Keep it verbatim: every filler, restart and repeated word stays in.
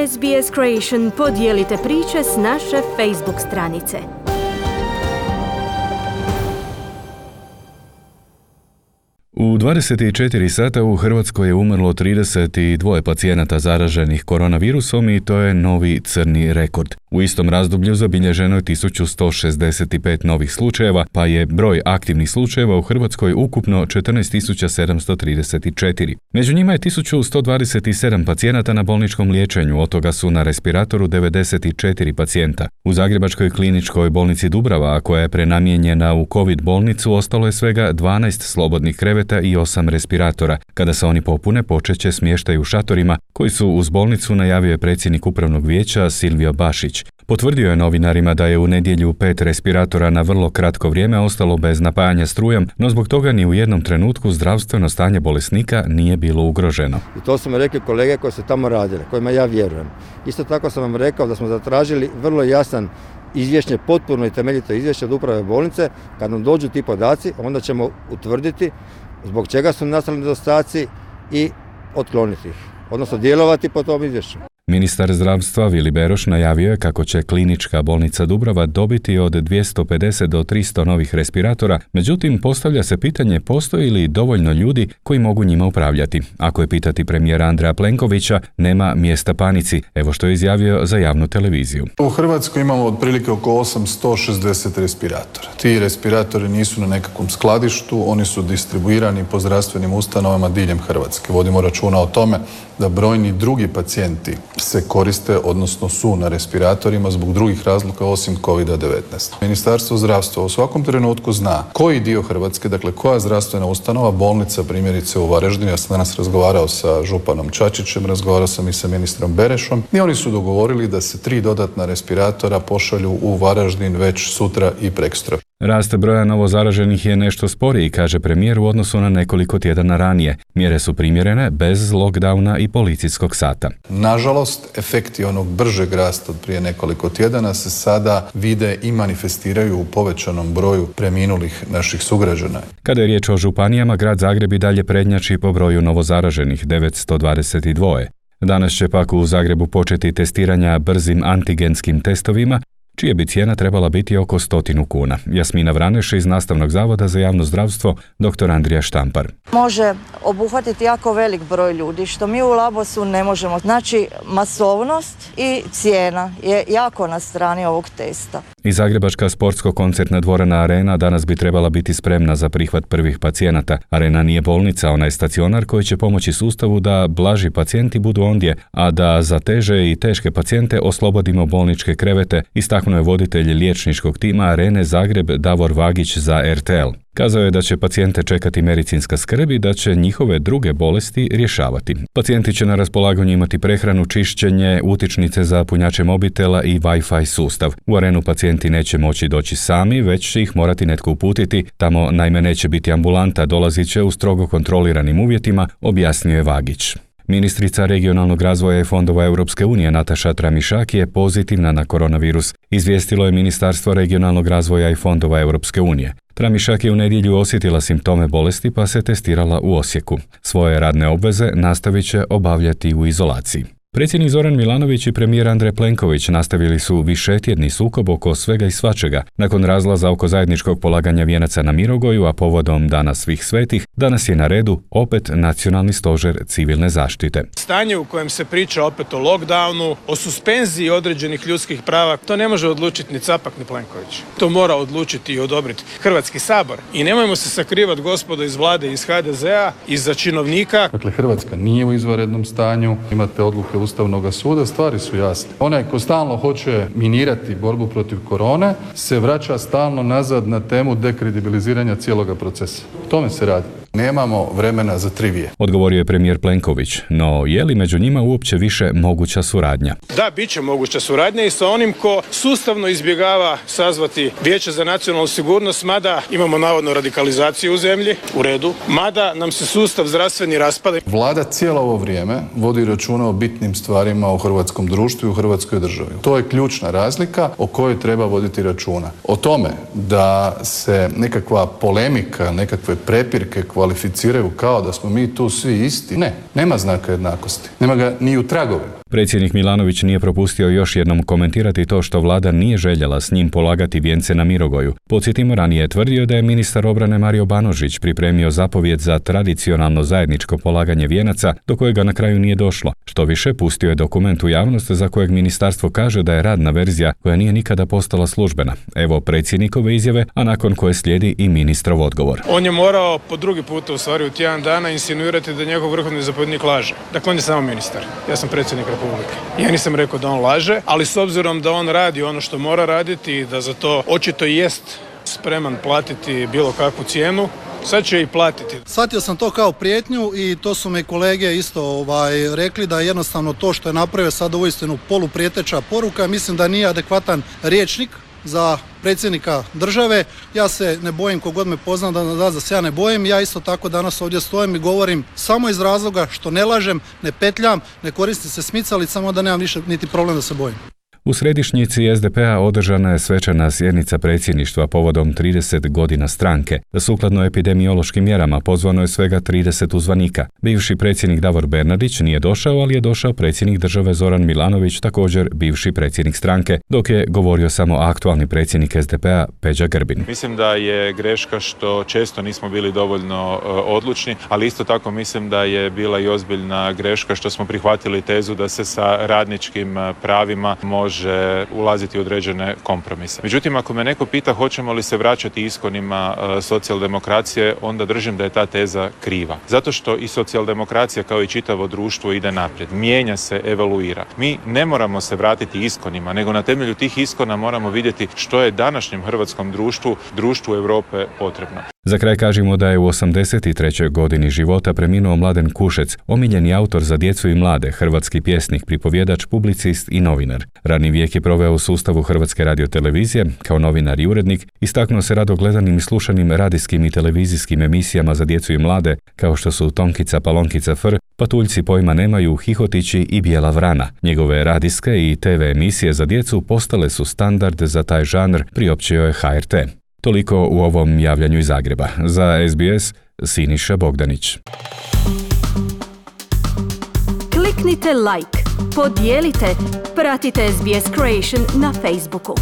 S B S Creation podijelite priče s naše Facebook stranice. U dvadeset četiri sata u Hrvatskoj je umrlo trideset dva pacijenata zaraženih koronavirusom i to je novi crni rekord. U istom razdoblju zabilježeno je tisuću sto šezdeset pet novih slučajeva, pa je broj aktivnih slučajeva u Hrvatskoj ukupno četrnaest tisuća sedamsto trideset četiri. Među njima je tisuću sto dvadeset sedam pacijenata na bolničkom liječenju, od toga su na respiratoru devedeset četiri pacijenta. U Zagrebačkoj kliničkoj bolnici Dubrava, koja je prenamijenjena u COVID bolnicu, ostalo je svega dvanaest slobodnih kreveta i osam respiratora. Kada se oni popune, počet će smještaj u šatorima, koji su uz bolnicu, najavio je predsjednik upravnog vijeća Silvio Bašić. Potvrdio je novinarima da je u nedjelju pet respiratora na vrlo kratko vrijeme ostalo bez napajanja strujom, no zbog toga ni u jednom trenutku zdravstveno stanje bolesnika nije bilo ugroženo. I to su mi rekli kolege koji su tamo radili, kojima ja vjerujem. Isto tako sam vam rekao da smo zatražili vrlo jasan izvješće, potpuno i temeljito izvješće od uprave bolnice. Kad nam dođu ti podaci, onda ćemo utvrditi zbog čega su nastali nedostaci i otkloniti ih, odnosno djelovati po tom izvješću. Ministar zdravstva Vili Beroš najavio je kako će klinička bolnica Dubrava dobiti od dvjesto pedeset do tristo novih respiratora, međutim postavlja se pitanje postoji li dovoljno ljudi koji mogu njima upravljati. Ako je pitati premijera Andreja Plenkovića, nema mjesta panici, evo što je izjavio za javnu televiziju. U Hrvatskoj imamo otprilike oko osamsto šezdeset respiratora. Ti respiratori nisu na nekakvom skladištu, oni su distribuirani po zdravstvenim ustanovama diljem Hrvatske. Vodimo računa o tome da brojni drugi pacijenti se koriste, odnosno su na respiratorima zbog drugih razloga osim kovid devetnaest. Ministarstvo zdravstva u svakom trenutku zna koji dio Hrvatske, dakle koja zdravstvena ustanova, bolnica primjerice u Varaždinu, ja sam danas razgovarao sa županom Čačićem, razgovarao sam i sa ministrom Berešom i oni su dogovorili da se tri dodatna respiratora pošalju u Varaždin već sutra i prekosutra. Rast broja novozaraženih je nešto sporiji, kaže premijer, u odnosu na nekoliko tjedana ranije. Mjere su primjerene bez lockdowna i policijskog sata. Nažalost, efekti onog bržeg rasta od prije nekoliko tjedana se sada vide i manifestiraju u povećanom broju preminulih naših sugrađana. Kada je riječ o županijama, grad Zagreb i dalje prednjači po broju novozaraženih, devetsto dvadeset dva. Danas će pak u Zagrebu početi testiranja brzim antigenskim testovima, čija bi cijena trebala biti oko stotinu kuna. Jasmina Vraneš iz Nastavnog zavoda za javno zdravstvo, doktor Andrija Štampar. Može obuhvatiti jako velik broj ljudi, što mi u Labosu ne možemo. Znači, masovnost i cijena je jako na strani ovog testa. I Zagrebačka sportsko-koncertna dvorana Arena danas bi trebala biti spremna za prihvat prvih pacijenata. Arena nije bolnica, ona je stacionar koji će pomoći sustavu da blaži pacijenti budu ondje, a da za teže i teške pacijente oslobodimo bolničke krevete, istaknuo je voditelj liječničkog tima Arene Zagreb Davor Vagić za R T L. Kazao je da će pacijente čekati medicinska skrb i da će njihove druge bolesti rješavati. Pacijenti će na raspolaganju imati prehranu, čišćenje, utičnice za punjače mobitela i Wi-Fi sustav. U Arenu pacijenti neće moći doći sami, već će ih morati netko uputiti. Tamo naime neće biti ambulanta, dolazit će u strogo kontroliranim uvjetima, objasnio je Vagić. Ministrica regionalnog razvoja i fondova Europske unije Nataša Tramišak je pozitivna na koronavirus, izvijestilo je Ministarstvo regionalnog razvoja i fondova Europske unije. Tramišak je u nedjelju osjetila simptome bolesti pa se testirala u Osijeku. Svoje radne obveze nastavit će obavljati u izolaciji. Predsjednik Zoran Milanović i premijer Andrej Plenković nastavili su višetjedni sukob oko svega i svačega. Nakon razlaza oko zajedničkog polaganja vijenaca na Mirogoju, a povodom Dana svih svetih, danas je na redu opet Nacionalni stožer civilne zaštite. Stanje u kojem se priča opet o lockdownu, o suspenziji određenih ljudskih prava, to ne može odlučiti ni Capak ni Plenković. To mora odlučiti i odobriti Hrvatski sabor. I nemojmo se sakrivati, gospodo iz vlade, iz H D Z A, iza činovnika. Dakle, Hrvatska nije u izvanrednom stanju, imate odluke Ustavnog suda, stvari su jasne. Onaj ko stalno hoće minirati borbu protiv korone se vraća stalno nazad na temu dekredibiliziranja cijeloga procesa. O tome se radi. Nemamo vremena za trivije. Odgovorio je premijer Plenković, no je li među njima uopće više moguća suradnja? Da, bit će moguća suradnja i sa onim ko sustavno izbjegava sazvati Vijeće za nacionalnu sigurnost, mada imamo navodno radikalizaciju u zemlji, u redu, mada nam se sustav zdravstveni raspada. Vlada cijelo ovo vrijeme vodi računa o bitnim stvarima u hrvatskom društvu i u hrvatskoj državi. To je ključna razlika o kojoj treba voditi računa. O tome da se nekakva polemika, nekakve prepirke koja kvalificiraju kao da smo mi tu svi isti. Ne, nema znaka jednakosti. Nema ga ni u tragovima. Predsjednik Milanović nije propustio još jednom komentirati to što vlada nije željela s njim polagati vijence na Mirogoju. Podsjetimo, ranije je tvrdio da je ministar obrane Mario Banožić pripremio zapovjed za tradicionalno zajedničko polaganje vijenaca, do kojega na kraju nije došlo. Što više, pustio je dokument u javnost za kojeg ministarstvo kaže da je radna verzija koja nije nikada postala službena. Evo predsjednikove izjave, a nakon koje slijedi i ministrov odgovor. On je morao po drugi puta, u stvari u tjedan dana, insinuirati da njegov vrhovni zapovjednik laže. Dakle, on je samo ministar. Ja sam predsjednik Republike. Ja nisam rekao da on laže, ali s obzirom da on radi ono što mora raditi i da za to očito jest spreman platiti bilo kakvu cijenu, sad će i platiti. Shvatio sam to kao prijetnju i to su mi kolege isto ovaj, rekli da je jednostavno to što je napravio sad uistinu poluprijeteća poruka. Mislim da nije adekvatan rječnik za predsjednika države. Ja se ne bojim, kogod me pozna da, da, da se ja ne bojim. Ja isto tako danas ovdje stojim i govorim samo iz razloga što ne lažem, ne petljam, ne koristim se smicalicama, da nemam više niti problem da se bojim. U središnjici es de pe a održana je svečana sjednica predsjedništva povodom trideset godina stranke. Sukladno epidemiološkim mjerama pozvano je svega trideset uzvanika. Bivši predsjednik Davor Bernardić nije došao, ali je došao predsjednik države Zoran Milanović, također bivši predsjednik stranke, dok je govorio samo aktualni predsjednik es de pe a Peđa Grbin. Mislim da je greška što često nismo bili dovoljno uh, odlučni, ali isto tako mislim da je bila i ozbiljna greška što smo prihvatili tezu da se sa radničkim uh, pravima može može ulaziti u određene kompromise. Međutim, ako me neko pita hoćemo li se vraćati iskonima uh, socijaldemokracije, onda držim da je ta teza kriva. Zato što i socijaldemokracija kao i čitavo društvo ide naprijed. Mijenja se, evoluira. Mi ne moramo se vratiti iskonima, nego na temelju tih iskona moramo vidjeti što je današnjem hrvatskom društvu, društvu Europe potrebno. Za kraj kažemo da je u osamdeset trećoj godini života preminuo Mladen Kušec, omiljeni autor za djecu i mlade, hrvatski pjesnik, pripovjedač, publicist i novinar. Radni vijek je proveo u sustavu Hrvatske radiotelevizije, kao novinar i urednik, istaknuo se rado gledanim i slušanim radijskim i televizijskim emisijama za djecu i mlade, kao što su Tonkica, Palonkica, Fr, Patuljci pojma nemaju, Hihotići i Bijela vrana. Njegove radijske i te ve emisije za djecu postale su standard za taj žanr, priopćio je ha er te. Toliko u ovom javljanju iz Zagreba. Za es be es, Siniša Bogdanić. Kliknite like, podijelite, pratite es be es Creation na Facebooku.